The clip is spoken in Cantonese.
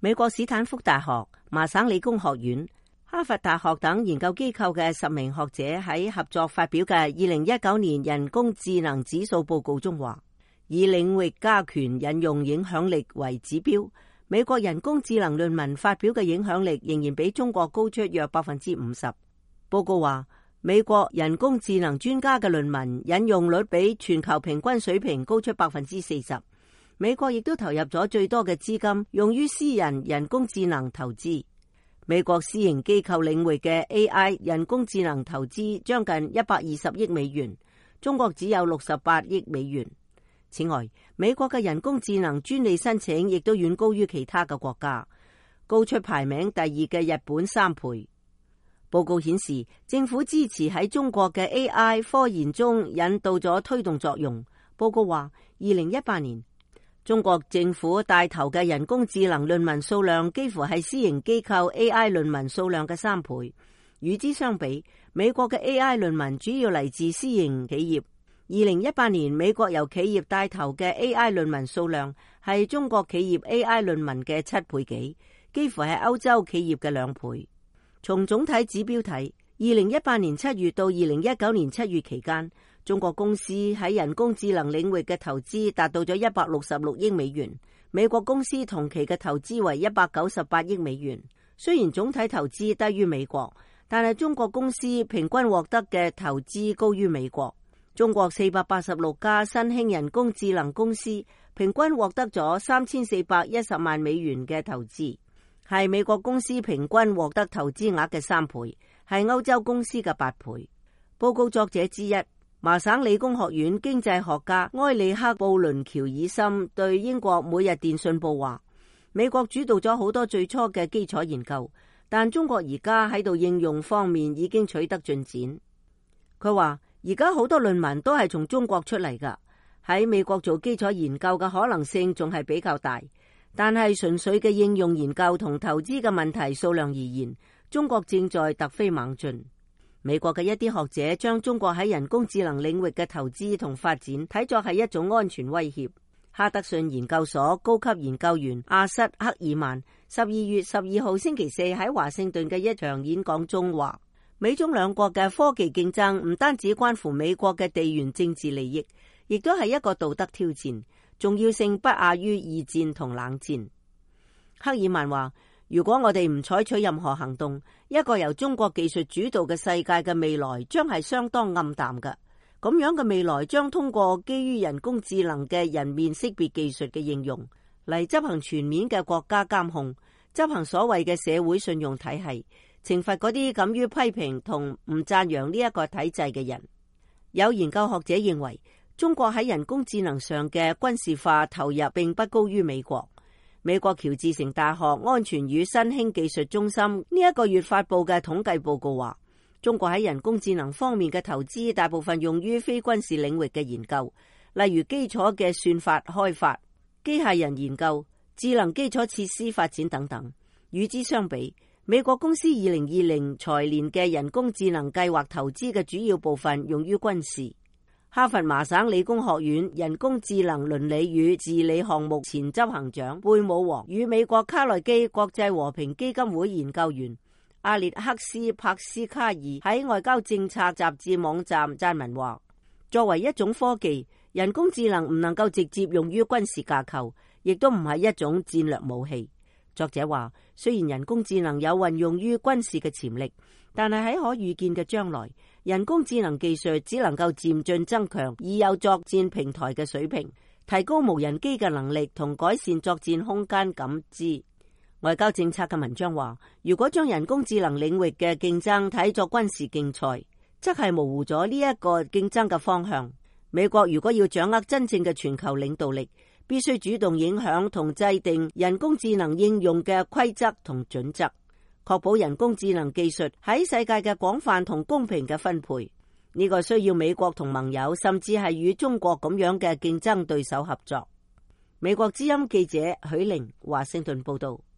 美國史坦福大學、麻省理工學院、哈佛大學等研究機構嘅10名學者喺合作發表嘅2019年人工智能指數報告中話，以領域加權引用影響力為指標，美國人工智能論文發表嘅影響力仍然比中國高出約 50%。 報告話，美國人工智能專家嘅論文引用率比全球平均水平高出 40%。 美國亦都投入咗最多嘅資金用於私人人工智能投資。美國私營機構領域嘅 AI 人工智能投資將近120億美元，中國只有68億美元。此外，美國嘅人工智能專利申請亦都遠高於其他嘅國家，高出排名第2嘅日本3倍。報告顯示，政府支持喺中國嘅 AI 科研中引導咗推動作用。報告話，2018年中國政府帶頭嘅人工智能論文數量幾乎係私營機構 AI 論文數量嘅3倍。與之相比，美國嘅 AI 論文主要嚟自私營企業。2018年美國由企業帶頭嘅 AI 論文數量係中國企業 AI 論文嘅7倍幾，幾乎係歐洲企業嘅2倍。從總體指標睇，2018年7月到2019年7月期間，中國公司喺人工智能領域嘅投資達到咗166億美元，美國公司同期嘅投資為198億美元。雖然總體投資低於美國，但係中國公司平均獲得嘅投資高於美國。中國486家新興人工智能公司平均獲得咗3410萬美元嘅投資，係美國公司平均獲得投資額嘅3倍，係歐洲公司嘅8倍。報告作者之一，麻省理工學院經濟學家埃里克布倫喬爾森對英國每日電訊報話，美國主導咗好多最初嘅基礎研究，但中國而家喺度應用方面已經取得進展。佢話，而家好多論文都係從中國出嚟㗎，喺美國做基礎研究嘅可能性仲係比較大，但係純粹嘅應用研究同投資嘅問題數量而言，中國正在突飛猛進。美國嘅一啲學者將中國喺人工智能領域嘅投資同發展睇作係一種安全威脅。哈德遜研究所高級研究員阿瑟克爾曼12月12號星期四喺華盛頓嘅一場演講中話，美中兩國嘅科技競爭唔單止關乎美國嘅地緣政治利益，亦都係一個道德挑戰，重要性不亞於二戰同冷戰。克爾曼話，如果我哋唔採取任何行動，一個由中國技術主導嘅世界嘅未來將係相當暗淡嘅。咁樣嘅未來將通過基於人工智能嘅人面識別技術嘅應用嚟執行全面嘅國家監控，執行所謂嘅社會信用體系，懲罰嗰啲敢於批評同唔讚揚呢一個體制嘅人。有研究學者認為，中國喺人工智能上嘅軍事化投入並不高於美國。美國喬治城大學安全與新興技術中心呢一個月發佈嘅統計報告話，中國喺人工智能方面嘅投資大部分用於非軍事領域嘅研究，例如基礎嘅算法開發、機械人研究、智能基礎設施發展等等。與之相比，美國公司2020財年嘅人工智能計劃投資嘅主要部分用於軍事。哈佛麻省理工學院人工智能倫理與治理項目前執行長貝姆王與美國卡內基國際和平基金會研究員阿列克斯帕斯卡爾喺外交政策雜誌網站撰文話，作為一種科技，人工智能唔能夠直接用於軍事架構，亦都唔係一種戰略武器。作者話，雖然人工智能有運用於軍事嘅潛力，但係喺可預見嘅將來，人工智能技術只能夠漸進增強已有作戰平台嘅水平，提高無人機嘅能力同改善作戰空間感知。外交政策嘅文章話，如果將人工智能領域嘅競爭睇作軍事競賽，則係模糊咗呢一個競爭嘅方向。美國如果要掌握真正嘅全球領導力，必須主動影響同制定人工智能應用嘅規則同準則，確保人工智能技術喺世界嘅廣泛同公平嘅分配。呢個需要美國同盟友，甚至係與中國咁樣嘅競爭對手合作。美國之音記者許玲華盛頓報道。